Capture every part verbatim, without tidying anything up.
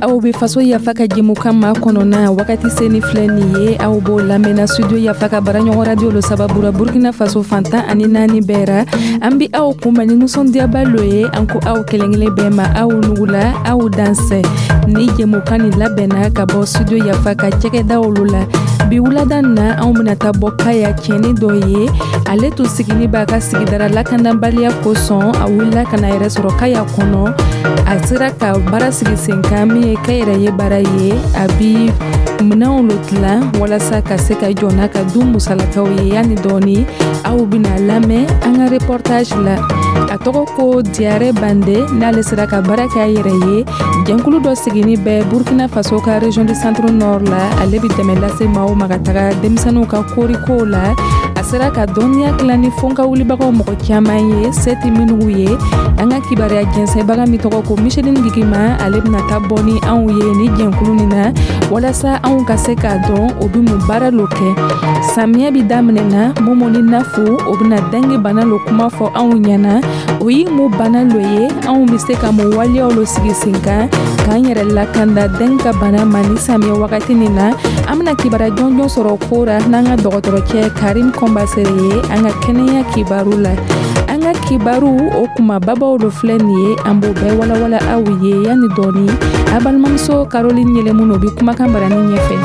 Aw bɛ Faso Yafa ka jɛmukan ma kɔnɔna wagati seni filɛ nin ye. Aw b'o lamɛnna Studio Yafa ka baaraɲɔgɔn radio lo sababu ra, Burkina Faso fantan ani naani bɛɛ ra. An bi aw kunbɛn ni nisɔndiyaba lo ye. An ko aw kelen kelen bɛɛ ma, aw nugula, aw dansɛ. Ni jɛmukan nin labɛnna ka bɔ Studio Yafa ka cɛkɛdaw lo la. Bi wulada na, anw bɛna taa bɔ Kaya cɛni dɔ ye. Ale tun sigini b'a ka sigidara lakanabaliya kosɔn, a wulila ka na yɛrɛ sɔrɔ Kaya kɔnɔ. A sera ka baara sigi sen kan min ye kɛyɛrɛye baara ye. A bi minɛnw lo dilan walasa ka se ka jɔ n'a ka du musalakaw ye. Yanni dɔɔni, aw bɛna lamɛn an ka reportage la. A tɔgɔ ko Diyare Bande. N'ale sera ka baara kɛ a yɛrɛ ye, jɛnkulu dɔ sigini bɛ Burkina Faso ka région du Centre Nord la. Ale bɛ dɛmɛ lase maaw ma ka taga denmisɛnninw ka korikow la. A sera ka dɔnniya dilan ni fɔnka wulibagaw mɔgɔ caman ye, se tɛ minnu ye. An ka kibaruya jɛnsɛnbaga min tɔgɔ ko Micheline Gigima, ale bɛna taa bɔ ni anw ye ni jɛnkulu nin na, walasa anw ka se k'a dɔn o bɛ mun baara lo kɛ. Samiya bi daminɛ na, Momo ni Nafu, o bɛna dengue bana lo kuma fɔ anw ɲɛna. O ye mun bana lo ye? Anw bɛ se ka mun waleyaw lo sigi sen kan k'an yɛrɛ lakanda dengue ka bana ma ni samiya wagati nin na? An bɛna kibaruya jɔnjɔn sɔrɔ ko ra n'an ka dɔgɔtɔrɔcɛ Karim Kɔnbasere ye an ka kɛnɛya kibaru la. An ka kibaru o kumababaw lo filɛ nin ye, an b'o bɛɛ walawala aw ye yanni dɔɔni. A balimamuso Caroline Yɛlɛmun o bɛ kumakan barani ɲɛfɛ.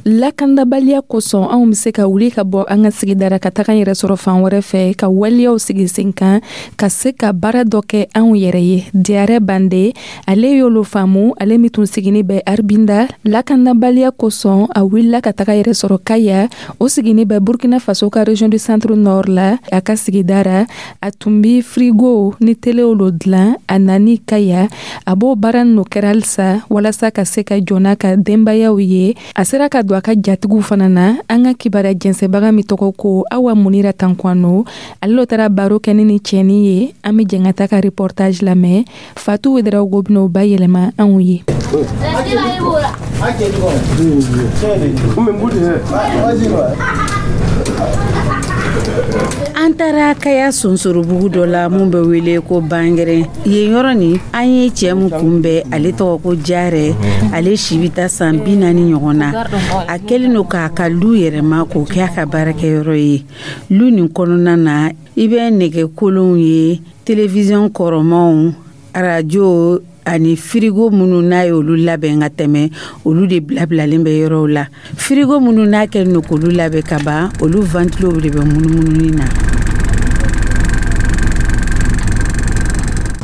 Lakandabaliya kosɔn, anw bɛ se ka wuli ka bɔ an ka sigidara ka taga yɛrɛ sɔrɔ fan wɛrɛ fɛ, ka waleyaw sigi sen kan ka se ka baara dɔ kɛ anw yɛrɛ ye. Diyarɛ Bande, ale y'olu faamu. Ale min tun sigini bɛ Arbinda, lakandabaliya kosɔn a wulila ka taga yɛrɛ sɔrɔ Kaya. O sigini bɛ Burkina Faso ka région du Centre Nord la. A ka sigidara, a tun bi frigo ni telew lo dilan. A nani Kaya, a b'o baara ninnu kɛra halisa walasa ka se ka jɔ n'a ka denbayaw ye. A sera ka don a ka jatigiw fana na. An ka kibaruya jɛnsɛnbaga min tɔgɔ ko Awa Munira Tankwano, ale lo taara baro kɛ ni ni cɛnin ye. An bɛ jɛn ka taa ka reportage lamɛn. Fatu Wedarawogo bɛn'o bayɛlɛma anw ye. An taara Kaya sonsorobugu dɔ la mun bɛ wele ko Bangɛrɛn. Yen yɔrɔ nin, an ye cɛ min kunbɛn, ale tɔgɔ ko Jarɛ. Ale si bɛ taa san bi naani ɲɔgɔn na. A kɛlen don k'a ka lu yɛrɛma k'o kɛ a ka baarakɛyɔrɔ ye. Lu nin kɔnɔna na, i bɛ nɛgɛ kolonw ye, télévision kɔrɔmaw, arajo ani firigo minnu n'a ye olu labɛn ka tɛmɛ, olu de bilabilalen bɛ yɔrɔw la. Firigo minnu n'a kɛlen don k'olu labɛn ka ban, olu ventilow de bɛ munumununi na.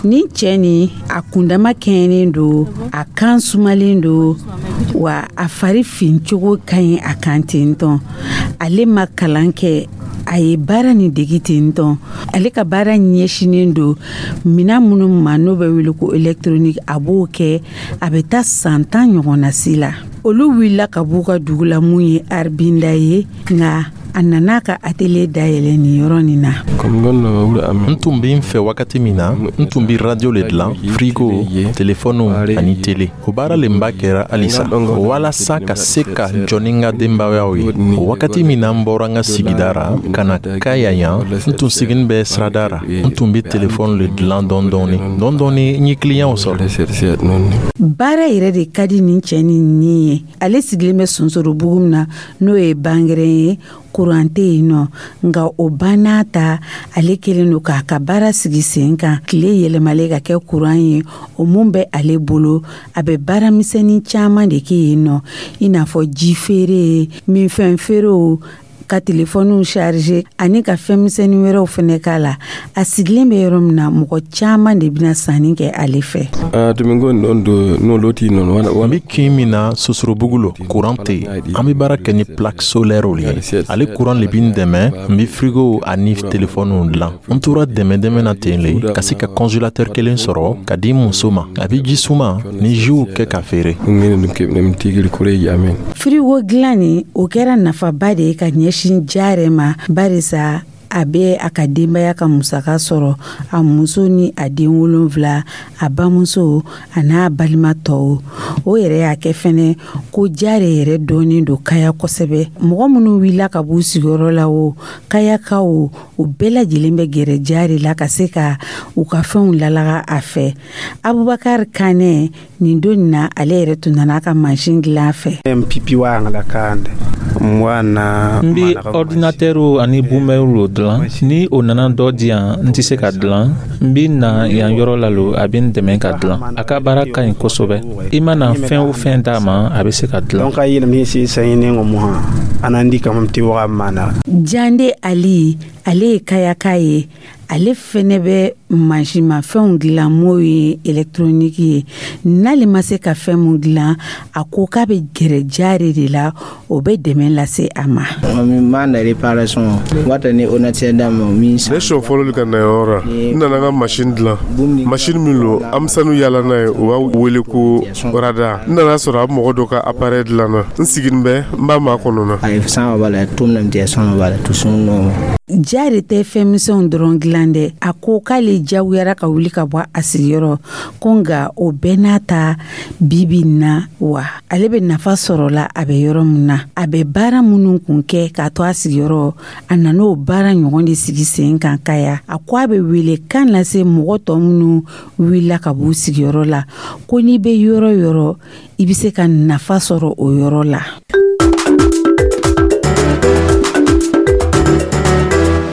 Nin cɛ nin, a kundama kɛɲɛnen don, a kan sumalen don, wa a fari fincogo ka ɲi a kan ten tɔn. Ale ma kalan kɛ, a ye baara nin degi ten tɔn. Ale ka baara ɲɛsinnen don minan minnu ma n'o bɛ wele ko électronique, a b'o kɛ. A bɛ taa san tan ɲɔgɔnna si la. Olu wulila ka b'u ka dugu la mun ye Arbinda ye, nka a nana ka atelier dayɛlɛ nin yɔrɔ nin na. N tun bɛ n fɛ wagati min na, n tun bɛ radio le dilan, frigo, telefɔniw ani tele. O baara le n b'a kɛra halisa walasa ka se ka jɔ ni n ka denbayaw ye. O wagati min na n bɔra n ka sigida ra ka na Kaya yan, n tun sigini bɛ sirada ra. N tun bɛ telefɔni le dilan dɔɔni dɔɔni dɔɔni dɔɔni, n ye kiliyanw sɔrɔ. Baara yɛrɛ de ka di nin cɛ nin ni ye. Ale sigilen bɛ sonsorobugu min na, n'o ye Bangɛrɛn ye, kuran tɛ yen nɔ. Nka o banna ta, ale kɛlen don k'a ka baara sigi sen kan, tile yɛlɛmalen ka kɛ kuran ye. O mun bɛ ale bolo, a bɛ baara misɛnnin caman de kɛ yen nɔ, i n'a fɔ ji feere, minfɛn feerew, ka telefɔniw charger ani ka fɛn misɛnnin wɛrɛw fɛnɛ k'a la. A sigilen bɛ yɔrɔ min na, mɔgɔ caman de bɛna sanni kɛ ale fɛ. N bɛ kin min na, Sosorobugu lo, kuran tɛ yen. An bɛ baara kɛ ni plaque solaire ye. Ale kuran le bɛ n dɛmɛ, n bɛ frigo ani telefɔniw dilan. N tora dɛmɛ dɛmɛ na ten le ka se ka congélateur kelen sɔrɔ ka di n muso ma. A bɛ ji suma ni jiw kɛ ka feere. Frigo dilan nin, o kɛra nafaba de ye ka ɲɛsin Jarɛ ma, barisa A bɛ a ka denbaya ka musaka sɔrɔ, a muso ni a den wolonfila, a bamuso a n'a balima tɔw. O yɛrɛ y'a kɛ fɛnɛ ko Jare yɛrɛ dɔnnen don Kaya kosɛbɛ. Mɔgɔ minnu wulila ka b'u sigiyɔrɔ la, o Kayakaw, o bɛɛ lajɛlen bɛ gɛrɛ Jare la ka se ka u ka fɛnw lalaga a fɛ. Abubakar Kanɛ, nin don nin na, ale yɛrɛ tun nana a ka mansin dilan a fɛ. N bi ordinateur ani bumɛriw dilan. Ni o nana dɔ di yan, n tɛ se ka dilan, n bi na yan yɔrɔ la lo, a bɛ n dɛmɛ ka dilan. A ka baara ka ɲi kosɛbɛ. I mana fɛn o fɛn d'a ma, a bɛ se ka dilan. Jande Ali, ale ye Kayaka ye. Ale fɛnɛ bɛ mansimafɛnw dilan, m'o ye électronique ye. N'ale ma se ka fɛn mun dilan, a ko k'a bɛ gɛrɛ Jare de la, o bɛ dɛmɛ lase a ma. Ne siɲɛ fɔlɔ ka na yɔrɔ la, n nana n ka machine dilan, machine min lo an bɛ sanu yaala n'a ye, u b'a wele ko radar. N nana sɔrɔ a bɛ mɔgɔ dɔ ka appareil dilan na. N siginin bɛ, n b'a makɔnɔ na. Jare tɛ fɛn misɛnw dɔrɔn dilan dɛ. A ko k'ale jagoyara ka wuli ka bɔ a sigiyɔrɔ ko, nka o bɛɛ n'a ta, bibi na wa, ale bɛ nafa sɔrɔ la. A bɛ yɔrɔ min na, a bɛ baara minnu kun kɛ k'a to a sigiyɔrɔ, a nan'o baara ɲɔgɔn de sigi sen kan Kaya. A ko a bɛ wele kan lase mɔgɔ tɔ minnu wulila ka b'u sigiyɔrɔ la, ko n'i bɛ yɔrɔ yɔrɔ, i bɛ se ka nafa sɔrɔ o yɔrɔ la.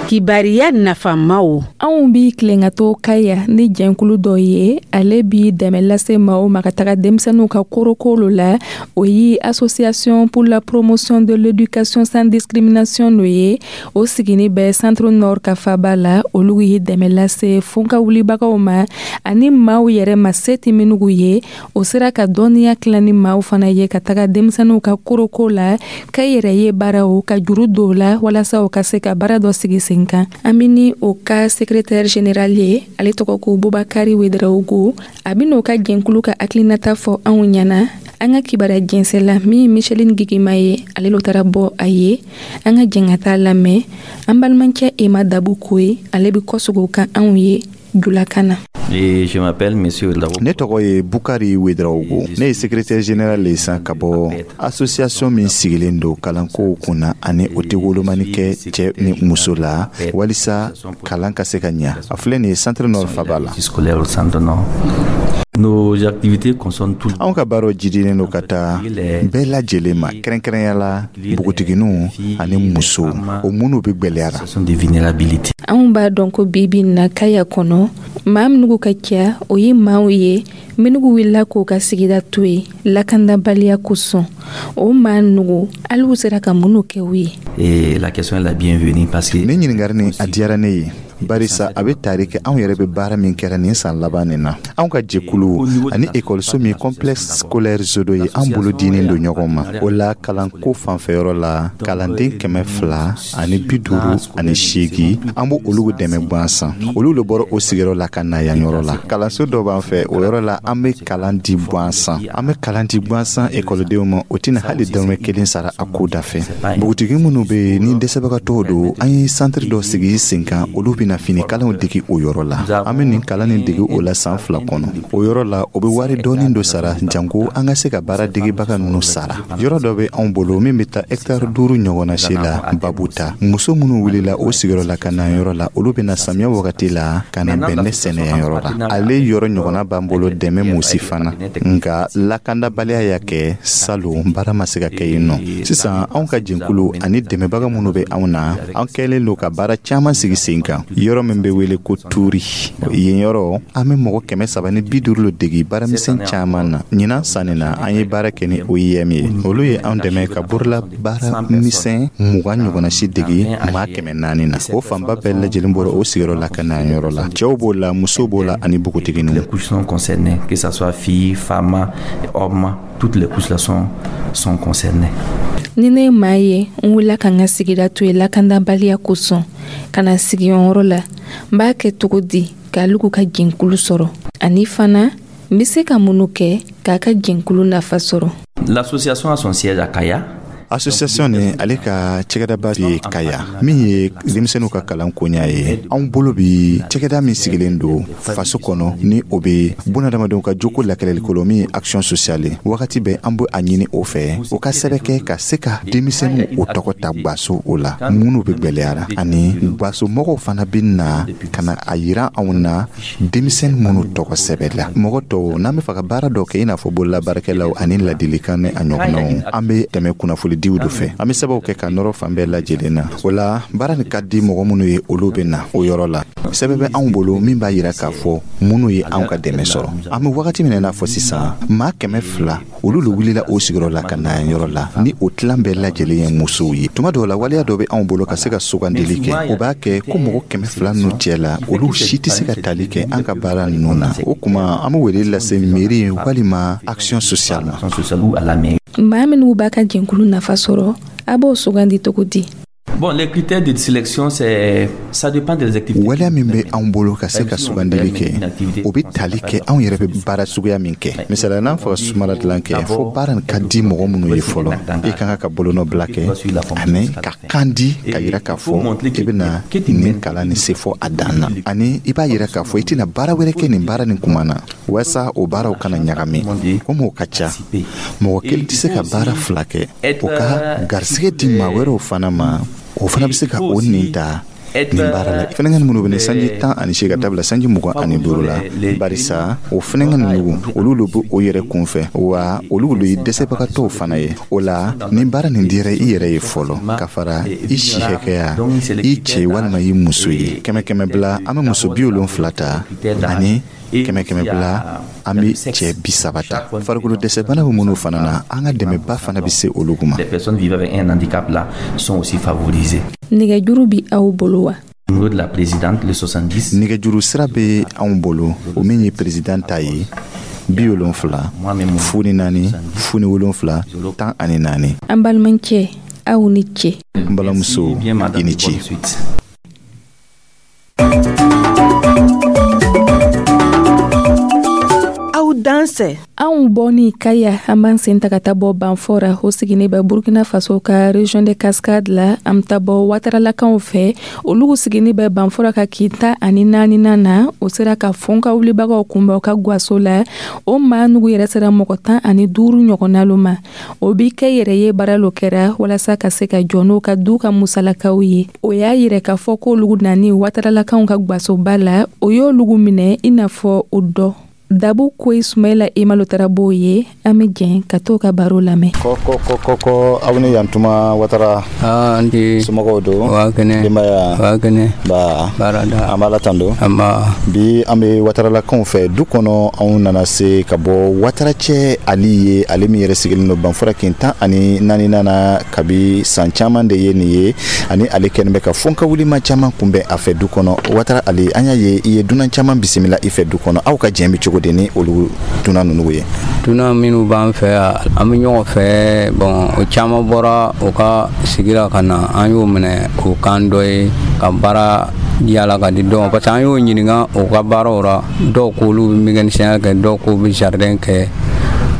Kibariya nafamaw. Anw bi tilen ka to Kaya ni jɛnkulu dɔ ye. Ale bi dɛmɛ lase maaw ma ka taga denmisɛnninw ka korokolo la. O ye Association pour la promotion de l'éducation sans discrimination no ye. O sigini bɛ Centre Nord ka faba la. Olu ye dɛmɛ lase funka wulibagaw ma ani maaw yɛrɛ ma, se tɛ minnugu ye. O sera ka dɔnniya tila ni maaw fana ye ka taga denmisɛnninw ka koroko la, ka yɛrɛ ye baaraw ka juru don la, walasa u ka se ka baara dɔ sigi sen kan. An bɛ ni o ka secrétaire général ye, ale tɔgɔ ko Bubakari Wederawogo. A bɛ n'o ka jɛnkulu ka hakilinata fɔ anw ɲɛna. An ka kibaruya jɛnsɛla min ye Micheline Gigima ye, ale lo taara bɔ a ye. An ka jɛn ka taa lamɛn. An balimakɛ Ema Dabu Koye, ale bɛ kɔsegin o kan anw ye julakan na. Ne tɔgɔ ye Bukari Wedrawogo. Ne ye secrétaire général le san ka bɔ association min sigilen don kalankow kunna ani o tɛ wolomani kɛ cɛ ni muso la, walisa kalan ka se ka ɲa. A filɛ nin ye Centre Nord faba la. Anw ka baaraw jidilen don ka taa bɛɛ lajɛlen ma, kɛrɛnkɛrɛnya la npogotigininw ani musow, o minnu bɛ gwɛlɛyara. Anw b'a dɔn ko bibi na, Kaya kɔnɔ, maa minugu ka ca, o ye maaw ye minugu wulila k'o ka sigida to yen lakandabaliya kosɔn. O maa nugu, ali'u sera ka minnu kɛ u ye? Nin ɲininkali nin, a diyara ne ye, barisa a bɛ tari kɛ anw yɛrɛ bɛ baara min kɛra nin san laban nin na. Anw ka jɛkulu ani ekɔliso min Complexe scolaire Zodo ye, an bolo dinen don ɲɔgɔn ma. O la, kalanko fanfɛyɔrɔ la, kalanden kɛmɛ fila ani bi duuru ani seegi, an b'o olu dɛmɛ gansan. Olu le bɔra o sigiyɔrɔ la ka na yan yɔrɔ la. Kalanso dɔ b'an fɛ, o yɔrɔ la, an bɛ kalan di gansan. An bɛ kalan di gansan ekɔlidenw ma, o tɛna hali dɔrɔmɛ kelen sara a ko da fɛ. Npogotigi minnu bɛ yen ni dɛsɛbagatɔw don, an ye santiri dɔ sigi sen kan. Olu bɛna finikalanw degi o yɔrɔ la. An bɛ nin kalan nin degi o la san fila kɔnɔ. O yɔrɔ la, o bɛ wari dɔɔni dɔ sara janko an ka se ka baara degebaga ninnu sara. Yɔrɔ dɔ bɛ anw bolo min bɛ taa hɛkitari duuru ɲɔgɔnna si la babu ta. Muso minnu wulila o sigiyɔrɔ la ka na yɔrɔ la, olu bɛna samiya wagati la ka na bɛnɛ sɛnɛ yan yɔrɔ la. Ale yɔrɔ ɲɔgɔnna b'an bolo dɛmɛ musi fana, nka lakandabaliya y'a kɛ salon baara ma se ka kɛ yen nɔ. Sisan, anw ka jɛnkulu ani dɛmɛbaga minnu bɛ anw na, an kɛlen don ka baara caman sigi sen kan. Yɔrɔ min bɛ wele ko Turi, yen yɔrɔ, an bɛ mɔgɔ kɛmɛ saba ni bi duuru lo degi baaramisɛn caman na. Ɲinan sanni na, an ye baara kɛ ni O I M ye. Olu ye anw dɛmɛ ka borola baara misɛn mugan ɲɔgɔnna si degi maa kɛmɛ naani na. O fanba bɛɛ lajɛlen bɔra o sigiyɔrɔ la ka na yɔrɔ la. Cɛw b'o la, musow b'o la ani npogotigininw. Que ça soit filles, femmes, hommes, toutes les couches là sont, sont concernées. Ni ne ye maa ye, n wulila ka n ka sigida to yen lakandabaliya kosɔn ka na sigiyɔrɔ la, n b'a kɛ cogo di k'alugu ka jɛnkulu sɔrɔ? Ani fana, n be se ka minnu kɛ k'a ka jɛnkulu nafa sɔrɔ? L'association a son siège à Kaya. Association ni ale ka cɛgɛdaba ye Kaya, min ye denmisɛnninw ka kalan koɲa ye. Anw bolo bi cɛgɛda min sigilen don faso kɔnɔ, ni o be bunadamadenw ka joko lakɛlɛlikolo, min ye action sociale. Wagati bɛɛ an be a ɲini o fɛ, o ka sɛbɛ kɛ ka se ka denmisɛnninw o tɔgɔ ta gwaso o la minnu be gwɛlɛyara, ani gwaso mɔgɔw fana be na ka na a yira anw na denmisɛnnin minnu tɔgɔ sɛbɛ la. Mɔgɔ tɔw n'an be fɛ ka baara dɔ kɛ, i n'a fɔ bololabaarakɛlaw ani ladilikan ni a ɲɔgɔnnaw, an be tɛmɛ kunnafonidiw do fɛ. An be sɛbɛw kɛ ka nɔrɔ fan bɛɛ lajɛlen na. O la, baara nin ka di mɔgɔ minnu ye, olu be na o yɔrɔ la. Sɛbɛ bɛ anw bolo min b'a yira k'a fɔ minnu ye anw ka dɛmɛ sɔrɔ. An be wagati min na, n'a fɔ sisan, maa kɛmɛ fila, olu le wulila o sigiyɔrɔ la ka na yan yɔrɔ la, ni o tilan bɛɛ lajɛlen ye musow ye. Tuma dɔw la, waleya dɔ bɛ anw bolo ka se ka sugandili kɛ. O b'a kɛ ko mɔgɔ kɛmɛ fila ninnu cɛ la, olu si tɛ se ka tali kɛ an ka baara ninnu na. O kuma, an be wele lase mairie walima action sociale ma. Maa minnu b'a ka jɛnkulu nafa sɔrɔ, a b'o sugandi cogo di? Bon, les critères de sélection, c'est, ça dépend des activités. Waleya min bɛ anw bolo ka se ka sugandili kɛ, o bɛ tali kɛ anw yɛrɛ bɛ baara suguya min kɛ. Misaliya, n'an fɛ ka sumala dilan kɛ, fo baara nin ka di mɔgɔ minnu ye fɔlɔ, i ka kan ka bolonɔ bila kɛ ani ka kan di ka yira k'a fɔ i bɛna nin kalan nin se fɔ a dan na, ani i b'a yira k'a fɔ i tɛna baara wɛrɛ kɛ nin baara nin kuma na, walasa o baaraw kana ɲagami. Komi o ka ca, mɔgɔ kelen tɛ se ka baara fila kɛ, o ka garisigɛ di maa wɛrɛw fana ma, o fana bɛ se ka o nin ta nin baara la. Fɛnɛŋɛ minnu bɛ sanji tan ani seegin ka taa bila sanji mugan ani duuru la, barisa o fɛnɛŋɛ ninnu, olu de bɛ o yɛrɛ kunfɛ, wa olu de ye dɛsɛbagatɔw fana ye. O la, ni baara nin dira i yɛrɛ ye fɔlɔ, ka fara i si hakɛya, i cɛ walima i muso ye, kɛmɛ kɛmɛ bila, an bɛ muso bi wolonfila ta, ani kɛmɛ kɛmɛ bila, an bɛ cɛ bi saba ta. Farikolo dɛsɛbana bɛ minnu fana na, an ka dɛmɛba fana bɛ se olu ma. Les personnes vivant avec un handicap là sont aussi favorisées. Nɛgɛjuru bi aw bolo wa? Numéro de la présidente, le soixante-dix. Nɛgɛjuru sira bɛ anw bolo, o min ye président ta ye, bi wolonfila fu ni naani fu ni wolonfila tan ani naani. An balimakɛ, aw ni ce. N balimamuso, i ni ce. Suite. Aw dansɛ. Anw bɔni Kaya, an b'an sen ta ka taa bɔ Banfora, o siginin bɛ Burkina Faso ka région de Cascade la. An bɛ taa bɔ Wataralakaw fɛ, olu siginin bɛ Banfora ka kin tan ani naaninan na. O sera ka fɔn ka wulibagaw kunbɛn u ka gwaso la. O maa nugu yɛrɛ sera mɔgɔ tan ani duuru ɲɔgɔnna lo ma. O bi kɛ yɛrɛ ye baara lo kɛra walasa ka se ka jɔ n'o ka du ka musalakaw ye. O y'a yɛrɛ k'a fɔ k'olugu nani Wataralakaw ka gwasoba la, o y'olugu minɛ i n'a fɔ o dɔ Dabu Koyi. Sumayila Emalo taara b'o ye. An bɛ jɛn ka t'o ka baro lamɛn. Kɔ kɔ kɔ kɔ kɔ, aw ni yantuma Watara. An ti. Somɔgɔw don? Wa kɛnɛ. Denbaya? Wa kɛnɛ. Ba. Baarada. An b'Ala tando. Anba. Bi, an bɛ Wataralakaw fɛ du kɔnɔ. Anw nana se ka bɔ Wataracɛ Ali ye, ale min yɛrɛ sigilen don Banfora kin tan ani naaninan na kabi san caman de ye nin ye, ani ale kɛlen bɛ ka fɔnka wulima caman kunbɛn a fɛ du kɔnɔ. Watara Ali, an y'a ye i ye dunan caman bisimila i fɛ du kɔnɔ. Aw ka jɛn bɛ cogo di ni olu dunan ninnu ye? Dunan minnu b'an fɛ yan, an bɛ ɲɔgɔn fɛ. Bon, o caman bɔra u ka sigi la ka na, an y'o minɛ k'o kan dɔ ye ka baara yala ka di dɔw ma, parce que an y'o ɲininka u ka baaraw la. Dɔw ko olu bɛ mécanicien kɛ, dɔw ko bɛ jardin kɛ.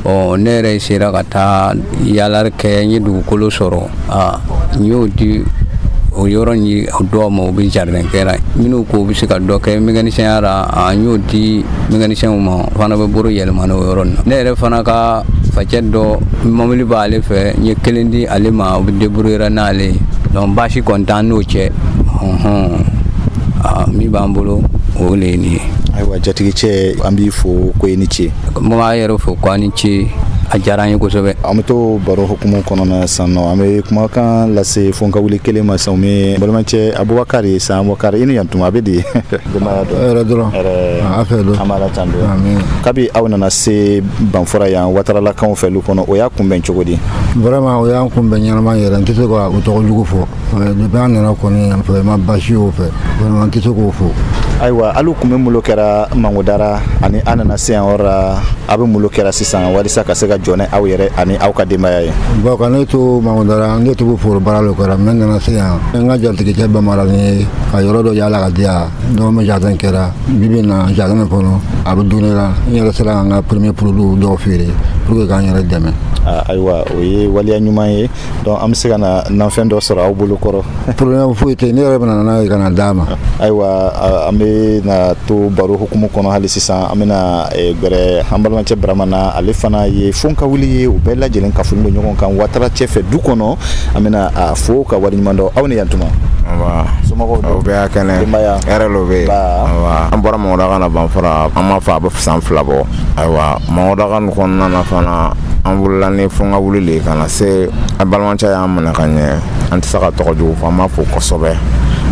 Bon, ne yɛrɛ sera ka taa yaalari kɛ, n ye dugukolo sɔrɔ, a n y'o di o yɔrɔ ni dɔw ma, u bɛ jardin kɛra. Minnu ko u bɛ se ka dɔ kɛ mécanicien la, an y'o di mécanicien ma, o fana bɛ bolo yɛlɛma n'o yɔrɔ nin na. Ne yɛrɛ fana ka facɛ dɔ, mobili b'ale fɛ, n ye kelen di ale ma, o bɛ débrouiller n'ale ye. Donc baasi kɔni t'an n'o cɛ. Ɔhɔn, min b'an bolo, o le ye nin ye. Ayiwa, jatigicɛ, an b'i fo ko i ni ce. N b'a yɛrɛ fo ko a ni ce, a diyara an ye kosɛbɛ. An bɛ to baro hukumu kɔnɔna sisan nɔ. An bɛ kumakan lase fo ka wuli kelen ma sisan, o balimakɛ Abubakari san. Abubakari, i ni yantuma, a bɛ di? Denbaya dɔn? Hɛrɛ dɔrɔn, a fɛ don. An b'Ala tando. Kabi aw nana se Banfora yan Wataralakaw fɛ lu kɔnɔ, o y'a kunbɛn cogo di? Vraiment, o y'an kunbɛn ɲɛnama yɛrɛ. N tɛ se ka o tɔgɔ jugu fɔ. Depuis an nana kɔni, vraiment baasi y'o fɛ, vraiment n tɛ se k'o fɔ. Ayiwa, hali kun bɛ malo kɛra Mangodara, ani an nana se yan yɔrɔ la, a bɛ malo kɛra sisan walisa ka se ka jɔ ni aw yɛrɛ ani aw ka denbaya ye? Bon, ka ne to Mangodara, ne to foro baara le kɛra, mais n nana se yan, n ka jatigicɛ bamara ni ka yɔrɔ dɔ yaala ka di yan. Donc n bɛ jardin kɛra. Bi bi in na, jardin kɔnɔ a bɛ don ne la, n yɛrɛ sera ka n ka premier produit dɔw feere. pour que k'an yɛrɛ dɛmɛ. Ayiwa, o ye waleya ɲuman ye. Donc an bɛ se ka na nafɛn dɔ sɔrɔ aw bolo kɔrɔ? Problème foyi tɛ, ne yɛrɛ bɛna n'a ye ka na d'a ma. Ayiwa, an bɛ na to baro hukumu kɔnɔ hali sisan. An bɛna gbɛrɛ an balimacɛ Barama na. Ale fana ye fonkawuli ye, u bɛɛ lajɛlen kafolen don ɲɔgɔn kan Watara cɛ fɛ du kɔnɔ. An bɛna a fo ka waleɲuman dɔn. Aw ni yantuma. Nba. Somɔgɔw? O bɛɛ y'a kɛnɛ. Denbaya? Hɛrɛ lo bɛ yen. Nba. An bɔra Mɔgɔdaga na Banfara, an m'a fɔ a bɛ san fila bɔ. Ayiwa, Mɔgɔdaga nin kɔnɔna na fana, an wulila ni fonkawuli le ye ka na se an balimacɛ y'an minɛ ka ɲɛ. An tɛ se ka tɔgɔ jugu fɔ, an b'a fo kosɛbɛ.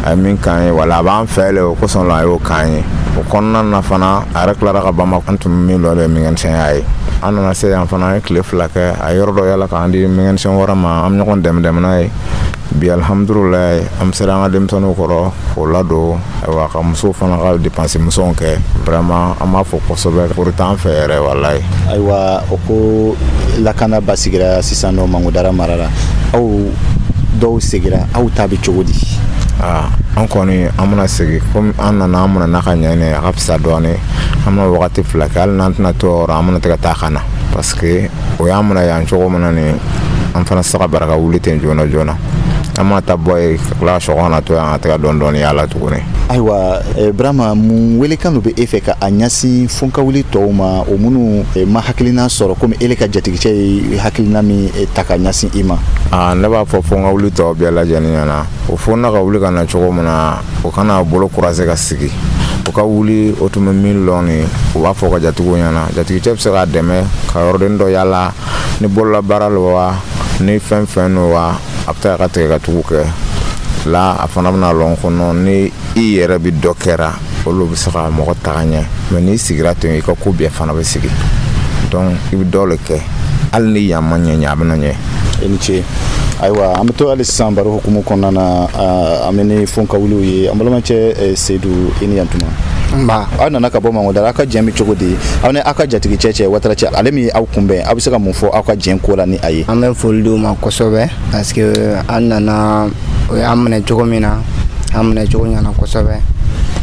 A ye min k'an ye, wala a b'an fɛ le, o kosɔn la a y'o k'an ye. O kɔnɔna na fana, a yɛrɛ tilara ka ban. An tun bɛ min lɔ de mécanicien ye. An nana se yan fana, an ye tile fila kɛ, a ye yɔrɔ dɔ yala k'an di mécanicien wɛrɛ ma, an bɛ ɲɔgɔn dɛmɛ dɛmɛ n'a ye. Bi, alihamudulilayi, an sera an ka denmisɛnninw kɔrɔ k'o ladon. Ayiwa, ka musow fana ka dépense misɛnw kɛ. Vraiment, an b'a fɔ kosɛbɛ, foro t'an fɛ yɛrɛ, walayi. Ayiwa, o ko lakana basigira sisan nɔ Mangodara mara la, aw dɔw segira, aw ta bɛ cogo di? Aa, an kɔni an bɛna segin komi an nana, an minɛ n'a ka ɲɛ, a ka fisa dɔɔnin. An bɛna wagati fila kɛ, hali n'an tɛna to yɔrɔ, an bɛna ka taa ka na, parce que o y'an minɛ yan cogo min na nin, an fana tɛ se ka bara ka wuli ten joona joona. An mana taa bɔ yen ka tila ka sɔgɔma na to yan ka taga dɔɔnin dɔɔnin yaala tuguni. Ayiwa, Burama, mun welekan dɔ bɛ e fɛ ka a ɲɛsin fonkawuli tɔw ma, o minnu ma hakilina sɔrɔ komi ele ka jatigicɛ ye hakilina min ta ka ɲɛsin i ma? Aa, ne b'a fɔ fonkawuli tɔw bɛɛ lajɛlen ɲɛna, o fonna ka wuli ka na cogo min na, o kana bolo kurase ka sigi. O ka wuli, o tun bɛ min lɔn nin, o b'a fɔ ka jatigiw ɲɛna. Jatigicɛ bɛ se k'a dɛmɛ ka yɔrɔden dɔ yaala, ni bololabaara lo wa, ni fɛn fɛn lo wa, a bɛ taa ka tigɛ ka tugu kɛ la. A fana bɛna lɔn kɔnɔ ni i yɛrɛ bɛ dɔ kɛra, olu bɛ se ka mɔgɔ taga ɲɛ. Mɛ n'i sigira ten, i ka ko bɛɛ fana bɛ sigi. Donc i bɛ dɔ le kɛ, hali ni yan ma ɲɛ ɲɛ, a bɛna ɲɛ. I ni ce. Ayiwa, an bɛ to hali sisan baro hukumu kɔnɔna na. An bɛ ni fonkawuliw ye. An balimacɛ Seyidu, i ni yantuma. Nba. Aw nana ka bɔ Mangodara, aw ka jɛn bɛ cogo di aw ni aw ka jatigicɛ cɛ Watara cɛ, ale min ye aw kunbɛn? Aw bɛ se ka mun fɔ aw ka jɛn ko la ni a ye? An bɛ foli d'u ma kosɛbɛ, parce que an nana, o y'an minɛ cogo min na, an minɛ cogo ɲɛna kosɛbɛ.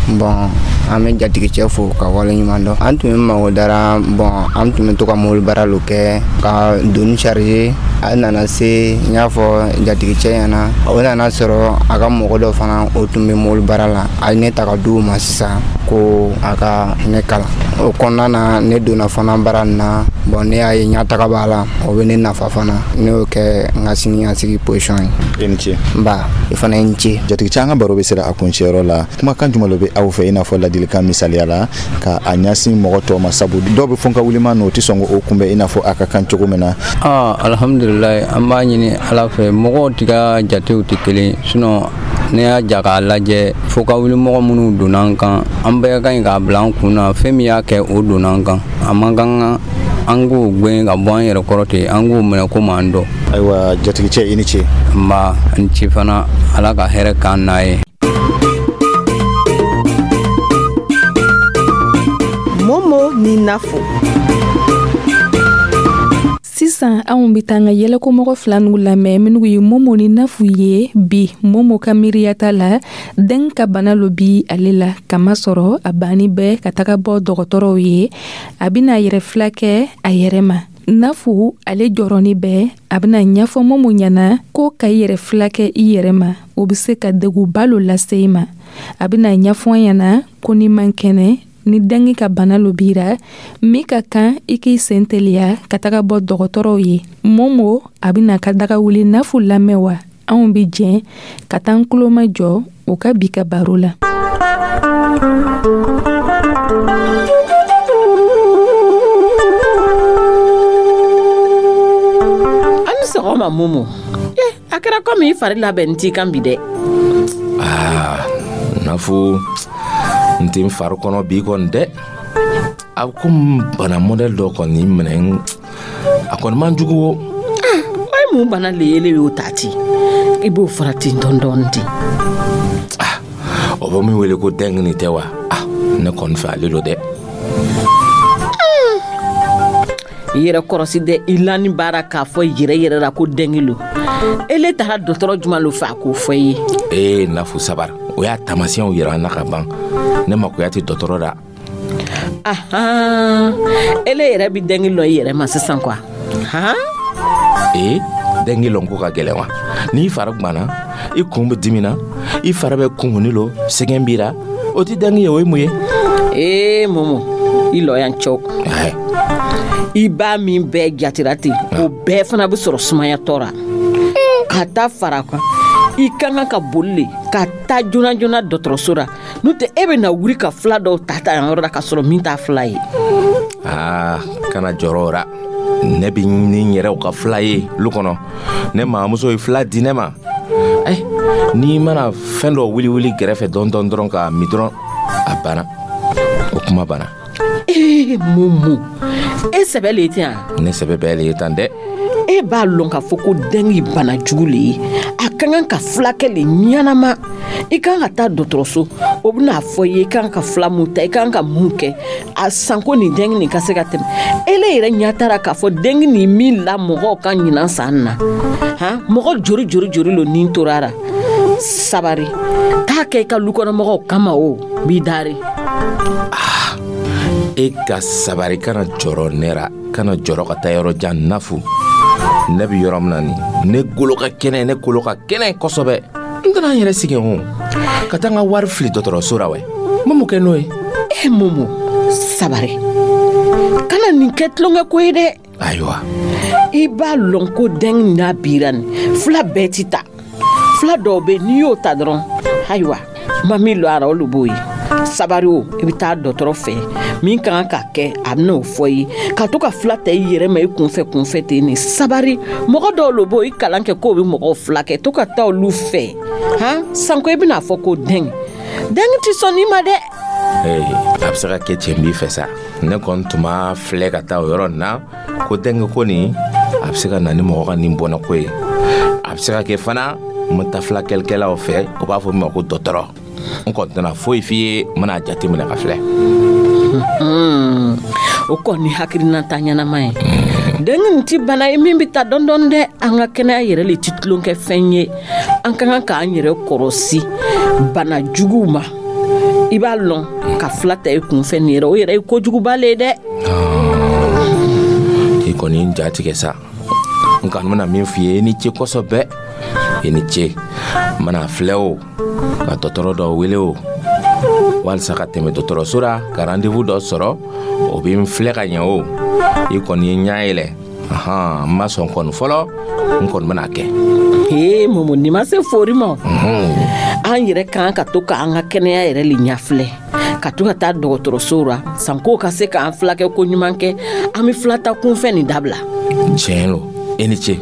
Bon, an bɛ jatigicɛ fo ka waleɲuman dɔn. An tun bɛ Mangodara. Bon, an tun bɛ to ka mobili baara lo kɛ ka doni charger. A nana se, n y'a fɔ jatigicɛ ɲɛna, o nana sɔrɔ a ka mɔgɔ dɔ fana, o tun bɛ mobili baara la. A ye ne ta ka di o ma sisan ko a ka ne kalan. O kɔnɔna na, ne donna fana baara nin na. Bon, ne y'a ye ɲɛtaga b'a la, o bɛ ne nafa fana. Ne y'o kɛ n ka siniɲɛsigi position ye. I ni ce. Nba, i fana ye n ce. Jatigicɛ, an ka baro bɛ sera a kuncɛyɔrɔ la. Kumakan jumɛn de bɛ aw fɛ, i n'a fɔ ladilikan misaliya la, ka a ɲɛsin mɔgɔ tɔw ma, sabu dɔw bɛ fonkawulima n'o tɛ sɔn k'o kunbɛn i n'a fɔ a ka kan cogo min na? Aa, alhamdulilayi, an b'a ɲini Ala fɛ. Mɔgɔw ti ka jatew tɛ kelen, sinon ne y'a ja k'a lajɛ, fo ka wuli mɔgɔ minnu donna an kan, an bɛɛ ka ɲi k'a bila an kun na. Fɛn min y'a kɛ, o donna an kan, a man kan an k'o gɛn ka bɔ an yɛrɛ kɔrɔ ten, an k'o minɛ komi an dɔn. Ayiwa, jatigicɛ, i ni ce. Nba, n ce fana. Ala ka hɛrɛ k'an n'a ye. Momo ni Nafo. Sisan anw bɛ taa an ka yɛlɛkomɔgɔ fila n'u lamɛn, minnu ye Momo ni Nafu ye. Bi, Momo ka miiriyata la, den ka bana lo bi ale la, kamasɔrɔ a banni bɛ ka taga bɔ dɔgɔtɔrɔw ye, a bɛna a yɛrɛ fila kɛ a yɛrɛ ma. Nafu, ale jɔrɔni bɛ, a bɛna ɲɛfɔ Momo ɲɛna ko ka i yɛrɛ fila kɛ i yɛrɛ ma, o bɛ se ka degunba lo lase i ma. A bɛna ɲɛfɔ ɲɛna ko ni man kɛnɛ, ni dengue ka bana lo bira, min ka kan i k'i sen teliya ka taga bɔ dɔgɔtɔrɔw ye. Momo, a bɛna ka daga wuli Nafu lamɛn wa? Anw bɛ jɛn ka taa an tuloma jɔ o ka bi ka baro la. An ni sɔgɔma Momo. Eh, a kɛra komi i fari labɛn t'i kan bi dɛ. Aa, Nafu, n tɛ n fari kɔnɔ bi kɔni dɛ. A ko bana mɔdɛli dɔ kɔni minɛ, a kɔni man jugu o. O ye mun bana le ye y'o ta ten? I b'o fara ten dɔɔni dɔɔni ten. Ah, o bɛ min wele ko dengue nin tɛ wa? Ah, ne kɔni fɛ ale don dɛ. I yɛrɛ kɔrɔsi dɛ, i lani baara k'a fɔ yɛrɛ yɛrɛ la ko dengue lo. Ele taara dɔgɔtɔrɔ jumɛn lo fɛ a k'o fɔ i ye? Ee Nafu, sabari, o y'a taamasiyɛnw yira an na ka ban. Ne makoya tɛ dɔgɔtɔrɔ la. Ahan, ele yɛrɛ bi dengue lɔn i yɛrɛ ma sisan quoi, han? Ee, dengue lɔn ko ka gɛlɛn wa? N'i fari gwanna, i kun bɛ dimina, i fari bɛ kunkunni lo, sɛgɛn b'i ra, o tɛ dengue ye, o ye mun ye? Ee Momo, i lɔ yan cɛw, i b'a min bɛɛ jatira ten, o bɛɛ fana bɛ sɔrɔ sumayatɔ ra ka taa fara kan. I ka kan ka boli le ka taa joona joona dɔgɔtɔrɔso ra, n'o tɛ e bɛ na wuli ka fila dɔw ta ta yan yɔrɔ la ka sɔrɔ min t'a fila ye. Aa, kana jɔrɔ o ra, ne bi ni n yɛrɛw ka fila ye lu kɔnɔ. Ne mamuso ye fila di ne ma. Ɛ, n'i mana fɛn dɔ wuli wuli gɛrɛfɛ dɔɔni dɔɔni dɔrɔn k'a min dɔrɔn, a banna, o kuma banna. Ee Momo, e sɛbɛ le ye ten yan? Ne sɛbɛ bɛɛ le ye tan dɛ. E b'a lɔn k'a fɔ ko dengue bana jugu le ye, a ka kan ka fulakɛ le ɲɛnama. I kan ka taa dɔgɔtɔrɔso, o bɛna fɔ i ye i kan ka fila mun ta, i kan ka mun kɛ a sanko nin dengue nin ka se ka tɛmɛ. Ele yɛrɛ ɲɛ taara k'a fɔ dengue nin min la mɔgɔw ka ɲinan san na, han, mɔgɔ jori jori jori lo nin tora ra. Sabari, taa kɛ i ka lukɔnɔmɔgɔw kama, o b'i dari. Ah, e ka sabari, kana jɔrɔ ne ra, kana jɔrɔ ka taa yɔrɔ jan. Nafu, ne bi yɔrɔ min na nin, ne golo ka kɛnɛ, ne kolo ka kɛnɛ kosɛbɛ. N tɛna n yɛrɛ sigi o ka taa n ka wari fili dɔgɔtɔrɔso ra wɛ. N bɛ mun kɛ n'o ye? E Momo, sabari, kana nin kɛ tulonkɛ ko ye dɛ. Ayiwa. I b'a lɔn ko dengue n'a bira nin fila bɛɛ ti ta. Fila dɔw bɛ, n'i y'o ta dɔrɔn, ayiwa, ma min lɔ a ra, olu b'o ye. Sabari o, i bɛ taa dɔgɔtɔrɔ fɛ, min ka kan ka kɛ a bɛna o fɔ i ye. Ka to ka fila ta i yɛrɛ ma i kunfɛ kunfɛ ten nin, sabari. Mɔgɔ dɔw lo b'o i kalan kɛ k'o bɛ mɔgɔw fila kɛ, to ka taa olu fɛ, han. Sanko i bɛna fɔ ko dengue, dengue ti sɔn nin ma dɛ. Ee, a bɛ se ka kɛ cɛ b'i fɛ sa. Ne kɔni tun b'a filɛ ka taa o yɔrɔ nin na ko dengue ko nin, a bɛ se ka na ni mɔgɔ ka nin bɔnna ko ye. A bɛ se ka kɛ fana n bɛ taa filakɛlikɛlaw fɛ, u b'a fɔ min ma ko dɔgɔtɔrɔ. N kɔni tɛna foyi f'i ye, n bɛna jateminɛ ka filɛ. O kɔni hakilinata ɲɛnama ye. Dengue nin ti bana ye min bɛ ta dɔɔni dɔɔni dɛ. An ka kɛnɛya yɛrɛ le ti tulonkɛ fɛn ye. An ka kan k'an yɛrɛ kɔrɔsi bana juguw ma. I b'a lɔn ka fila ta i kunfɛ nin yɛrɛ, o yɛrɛ ye kojuguba le ye dɛ. I kɔni n ja tigɛ sa. N kɔni bɛna min f'i ye, i ni ce kosɛbɛ, i ni ce. N bɛna filɛ o ka dɔgɔtɔrɔ dɔ wele o walisa ka tɛmɛ dɔgɔtɔrɔso la ka rendez-vous dɔ sɔrɔ, o bɛ n filɛ ka ɲɛ. O i kɔni ye ɲɛ yɛlɛ. Ahan, n ma sɔn kɔni fɔlɔ, n kɔni bɛna kɛ. Ee Momo, nin ma se fori ma. An yɛrɛ kan ka to k'an ka kɛnɛya yɛrɛ le ɲɛfilɛ, ka to ka taa dɔgɔtɔrɔso ra sanko ka se k'an filakɛ ko ɲuman kɛ. An bɛ fila ta kunfɛ nin dabila. Tiɲɛ lo, i ni ce.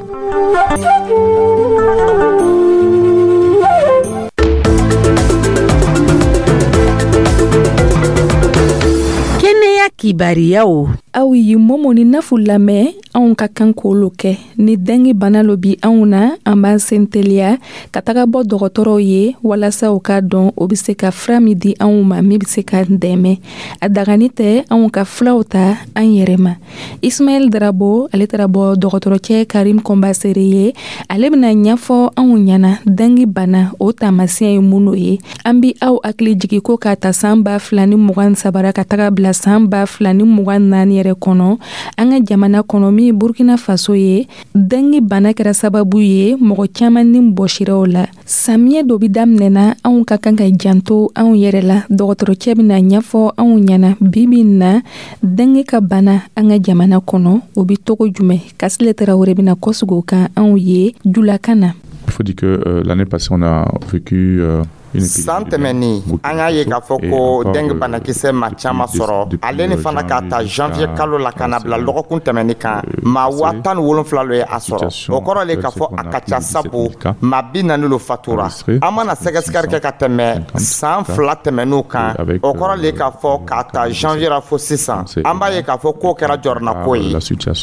Kɛnɛya kibariyaw. Aw ye Momo ni Nafu lamɛn. Anw ka kan k'olu kɛ ni dengue bana lo bi anw na, an b'an sen teliya ka taga bɔ dɔgɔtɔrɔw ye walasa u k'a dɔn o bɛ se ka fura min di anw ma min bɛ se ka dɛmɛ. A dagani tɛ anw ka fulaw ta an yɛrɛ ma. Ismaɛl Darabo, ale taara bɔ dɔgɔtɔrɔcɛ Karim Kɔnbasere ye, ale bɛna ɲɛfɔ anw ɲɛna dengue bana o taamasiyɛn ye minnu ye. An bi aw hakili jigi ko k'a ta san ba fila ni mugan sabara ka taga bila san ba fila ni mugan naani yɛrɛ kɔnɔ, an ka jamana kɔnɔ min ye Burkina Faso ye, dengue bana kɛra sababu ye mɔgɔ caman ni bɔsiraw la. Samiyɛ dɔ bi daminɛna, anw ka kan ka janto anw yɛrɛ la. Dɔgɔtɔrɔcɛ bɛna ɲɛfɔ anw ɲɛna bi bi in na dengue ka bana an ka jamana kɔnɔ o bi togo jumɛn. Kasile Tarawele bɛna kɔsigi o kan anw ye julakan na. Il faut dire que euh, l'année passée, on a vécu euh, san tɛmɛnin, an y'a ye k'a fɔ ko dengue banakisɛ ma caman sɔrɔ. Ale ni fana k'a ta janvier kalo la ka na bila lɔgɔkun tɛmɛnin kan, maa waa tan ni wolonfila lo ye a sɔrɔ. O kɔrɔ le k'a fɔ a ka ca, sabu maa bi naani lo fatura. An mana sɛgɛsɛgɛli kɛ ka tɛmɛ san fila tɛmɛn'u kan, o kɔrɔ le k'a fɔ k'a ta janvier la fo sisan, an b'a ye k'a fɔ k'o kɛra jɔrɔnako ye.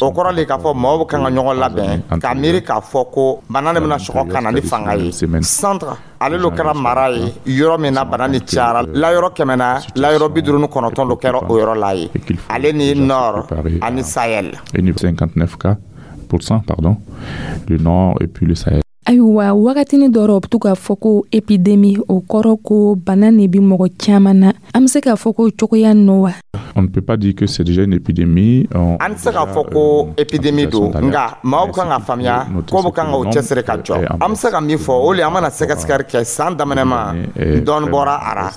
O kɔrɔ le k'a fɔ maaw bɛ kan ka ɲɔgɔn labɛn k'a miiri k'a fɔ ko bana nin bɛna sɔgɔ ka na ni fanga ye. Centre ale lo kɛra mara ye yɔrɔ min na bana ni cayara, layɔrɔ kɛmɛ na layɔrɔ bi duuru ni kɔnɔntɔn lo kɛra o yɔrɔ la ye, ale ni nord ani Sahel. cinquante-neuf cas pour cent, pardon, le nord et puis le Sahel. Ayiwa, wagatini dɔ rɔ, u bɛ to k'a fɔ ko épidémie, o kɔrɔ ko bana ne bi mɔgɔ caman na. An bɛ se k'a fɔ ko cogoya nɔ wa? On ne peut pas dire que c'est déjà une épidémie. An tɛ se k'a fɔ ko épidémie don, nka maaw bɛ kan ka faamuya ko bɛ kan ka o cɛsiri ka jɔ. An bɛ se ka min fɔ, o le, an mana sɛgɛsɛgɛli kɛ san daminɛ ma, dɔɔni bɔra a ra.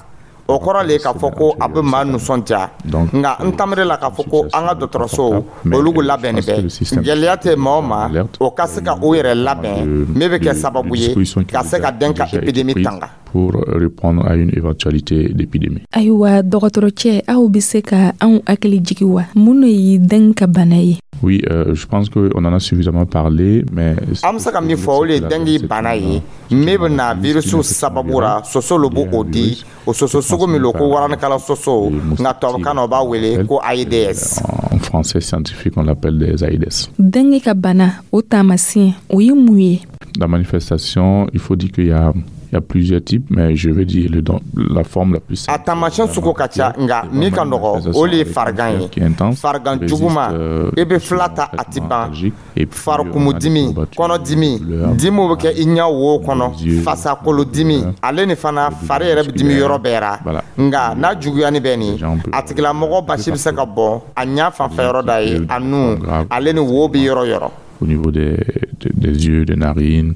O kɔrɔ le k'a fɔ ko a bɛ maa nisɔndiya, nka n tamiri la k'a fɔ ko an ka dɔgɔtɔrɔsow, olu labɛnni bɛ. Gɛlɛya tɛ maa o ma, o ka se ka o yɛrɛ labɛn min bɛ kɛ sababu ye ka se ka den ka épidémie tanga. Pour répondre à une éventualité d'épidémie. Ayiwa, dɔgɔtɔrɔcɛ, aw bɛ se ka anw hakili jigi wa, mun de ye dengue ka bana ye? Oui, euh, je pense qu'on en a suffisamment parlé, mais. An bɛ se ka min fɔ, o de ye dengue bana ye min bɛ na virus sababu la. Soso lo b'o di, o soso sugu min lo ko waranikala soso, nka tubabukan na o b'a wele ko Aedes. En français scientifique, on l'appelle des Aedes. Dengue ka bana, o taamasiyɛn, o ye mun ye? La manifestation, il faut dire qu'il y a Il y a plusieurs types, mais je vais dire le, la forme la plus A taamasiyɛn sugu ka ca, nka min ka nɔgɔ, o le ye farigan ye, farigan juguman, i bɛ fila ta a ti ban, farikumudimi, kɔnɔdimi, dimiw bɛ kɛ i ɲɛ wo kɔnɔ, fasakolodimi, ale ni fana fari yɛrɛ bɛ dimi yɔrɔ bɛɛ ra. Nka n'a juguyani bɛ nin, a tigilamɔgɔ basi bɛ se ka bɔn a ɲɛ fanfɛ yɔrɔ da ye, a nun, ale ni wo bɛ yɔrɔ yɔrɔ. Au niveau des, des, des yeux, des narines,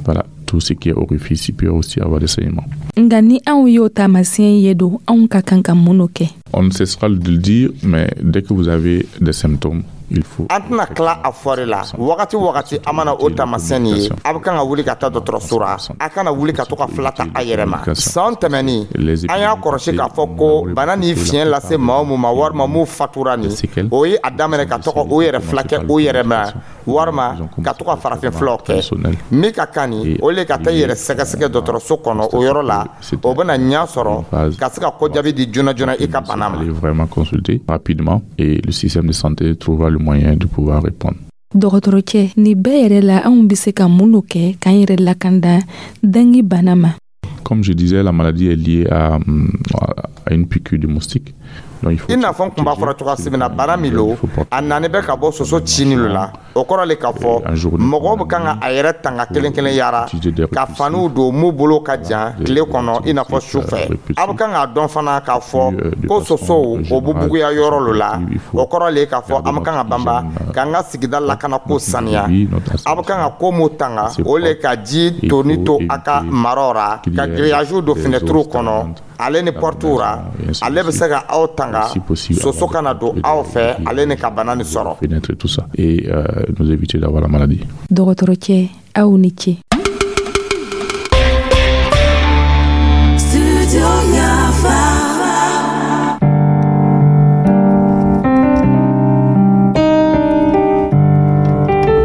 voilà, tout ce qui est orifice, il peut aussi avoir des saignements. Nka ni anw y'o taamasiyɛn ye don, anw ka kan ka mun kɛ? On ne cessera de le dire, mais dès que vous avez des symptômes, il faut. An tɛna tila a fɔri la. Wagati wagati an mana o taamasiyɛn nin ye, a bɛ kan ka wuli ka taa dɔgɔtɔrɔso la. A kana wuli ka to ka fila ta a yɛrɛ ma. San tɛmɛnin, an y'a kɔlɔsi k'a fɔ ko bana ni fiɲɛ lase maa o mun ma, walima mun fatura nin, o ye a daminɛ ka tɔgɔ o yɛrɛ fila kɛ o yɛrɛ ma, walima ka to ka farafin fulaw kɛ. Min ka kan nin, o le ka taa i yɛrɛ sɛgɛsɛgɛ dɔgɔtɔrɔso kɔnɔ. O yɔrɔ la, o bɛna ɲɛ sɔrɔ ka se ka ko jaabi di joona joona i ka bana ma. Aller vraiment consulter rapidement et le système de santé trouvera le moyen de pouvoir répondre. Dɔgɔtɔrɔcɛ, nin bɛɛ yɛrɛ la, anw bɛ se ka mun do kɛ k'an yɛrɛ lakanda dengue bana ma? Comme je disais, la maladie est liée à, à une piqûre de moustique. I n'a fɔ n kun b'a fɔra cogoya min na, bana min lo, a nani bɛ ka bɔ soso cini lo la. O kɔrɔ le k'a fɔ mɔgɔw bɛ kan ka a yɛrɛ tanga kelen kelen yara ka faniw don mun bolo ka jan tile kɔnɔ, i n'a fɔ su fɛ. A bɛ kan k'a dɔn fana k'a fɔ ko sosow, o bɛ buguya yɔrɔ lo la. O kɔrɔ le k'a fɔ an bɛ kan ka banba k'an ka sigida lakana ko saniya. A bɛ kan ka ko mun tanga, o le ka ji toni to a ka maraw ra, ka grillage don fenêtre kɔnɔ, ale ni porte ra. Ale bɛ se ka aw tanga soso kana don aw fɛ, ale ni ka bana nin sɔrɔ. Fenêtre, tout ça, et euh, nous éviter d'avoir la maladie. Dɔgɔtɔrɔcɛ, aw ni ce. Studio Yafa.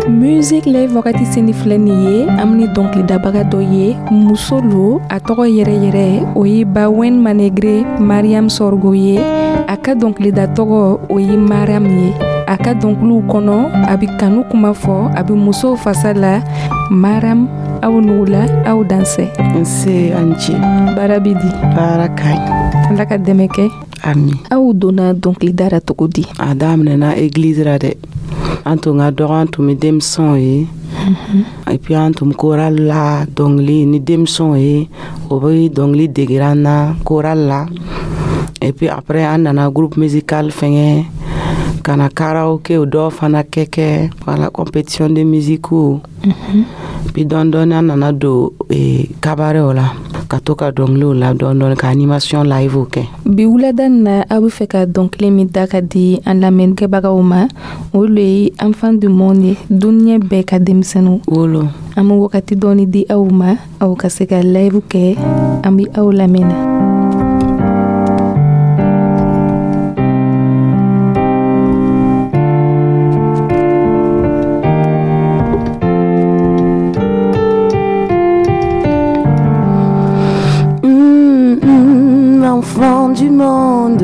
Musique Live wagati seni filɛ nin ye, an ni dɔnkilidabaga dɔ ye, muso lo. A tɔgɔ yɛrɛ yɛrɛ, o ye Bawen Manegre Mariam Sorgo ye. A ka dɔnkilida tɔgɔ, o ye Mariam ye. A ka dɔnkiliw kɔnɔ, a bɛ kanu kuma fɔ, a bɛ musow fasa la. Mariam, aw n'u la, aw dansɛ. Nse, an ce. Baara bɛ di? Baara ka ɲi. Ala ka dɛmɛ kɛ. Ami. Aw donna dɔnkilida la cogo di? A daminɛna église la dɛ. An tun ka dɔgɔ, an tun bɛ denmisɛnw ye, et puis an tun chorale la dɔnkili ni denmisɛnw ye, o bɛ dɔnkili degera an na chorale la. Et puis après, an nana groupe musical fɛngɛ ka na karaoke dɔw fana kɛ kɛ voilà, compétition de musique. Puis dɔɔni dɔɔni, an nana don cabaret la, ka to ka dɔnkiliw la dɔɔni dɔɔni, ka animation live kɛ. Bi wulada nin na, aw bɛ fɛ ka dɔnkili min da ka di an lamɛnnikɛbagaw ma, o le ye Enfant du monde ye, duniɲɛ bɛɛ ka denmisɛnninw. Wolo. An bɛ wagati dɔɔni di aw ma, aw ka se ka live kɛ. An bɛ aw lamɛn na. Enfant du monde,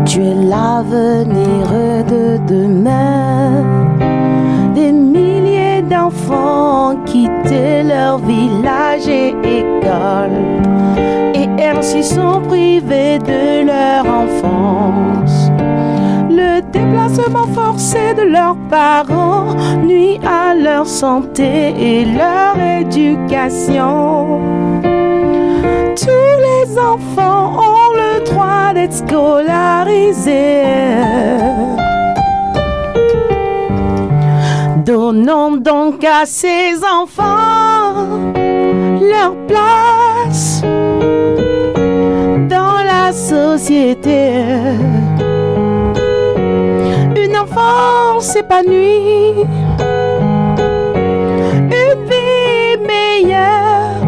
tu es l'avenir de demain. Des milliers d'enfants ont quitté leur village et école, et ainsi sont privés de leur enfance. Le déplacement forcé de leurs parents nuit à leur santé et leur éducation. Tous les enfants ont le droit d'être scolarisés. Scolarisés. Donnons donc à ces enfants leur place dans la société. Une enfance épanouie, une vie meilleure.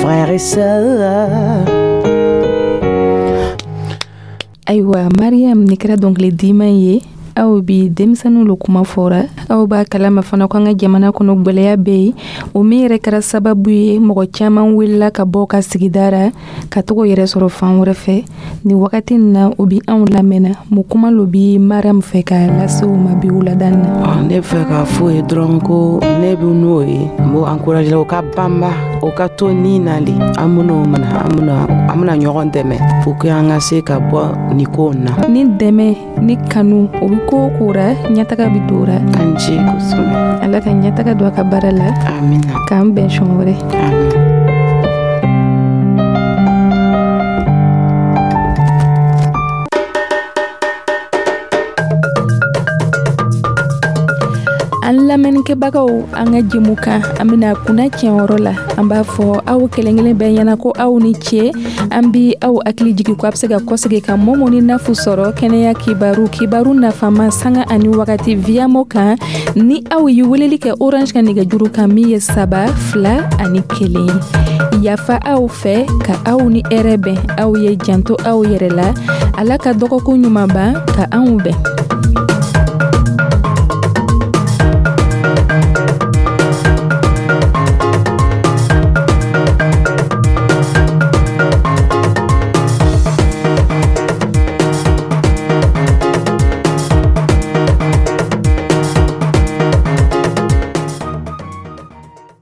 Frères et sœurs. Ayiwa Mariam, nin kɛra dɔnkili diman ye. Aw bi denmisɛnninw lo kuma fɔra. Aw b'a kalama fana ko an ka jamana kɔnɔ gwɛlɛya bɛ yen, o min yɛrɛ kɛra sababu ye mɔgɔ caman wulila ka bɔ ka sigida ra ka togo yɛrɛ sɔrɔ fan wɛrɛ fɛ. Nin wagati nin na, o bi anw lamɛnna. Mun kuma lo bi Mariam fɛ ka lase u ma bi wulada nin na? Ne fɛ k'a fɔ ye dɔrɔn ko ne bɛ n'o ye, n b'o encourager o ka banba, o ka to ni na le. An ben'o mina, an bena an bena ɲɔgɔn dɛmɛ pour que an ka se ka bɔ nin ko in na. Ni dɛmɛ ni kanu, o bi ko o ko ra, ɲɛtaga bi don ra. An ce kosɛbɛ. Ala ka ɲɛtaga don a ka baara la. Amina. K'an bɛn sɔn wɛrɛ. Amina. An lamɛnnikɛbagaw, an ka jɛmukan an bɛna kunna tiɲɛyɔrɔ la. An b'a fɔ aw kelen kelen bɛɛ ɲɛna ko aw ni ce. An bi aw hakili jigin ko a bɛ se ka kɔsegin ka Mɔmɔ ni Nafu sɔrɔ kɛnɛya kibaru, kibaru nafama, sanga ani wagati Viyamo kan, ni aw ye weleli kɛ Orange ka nɛgɛjuru kan min ye saba fila ani kelen. Yafa aw fɛ ka aw ni hɛrɛ bɛn. Aw ye janto aw yɛrɛ la. Ala ka dɔgɔkun ɲuman ban ka anw bɛn.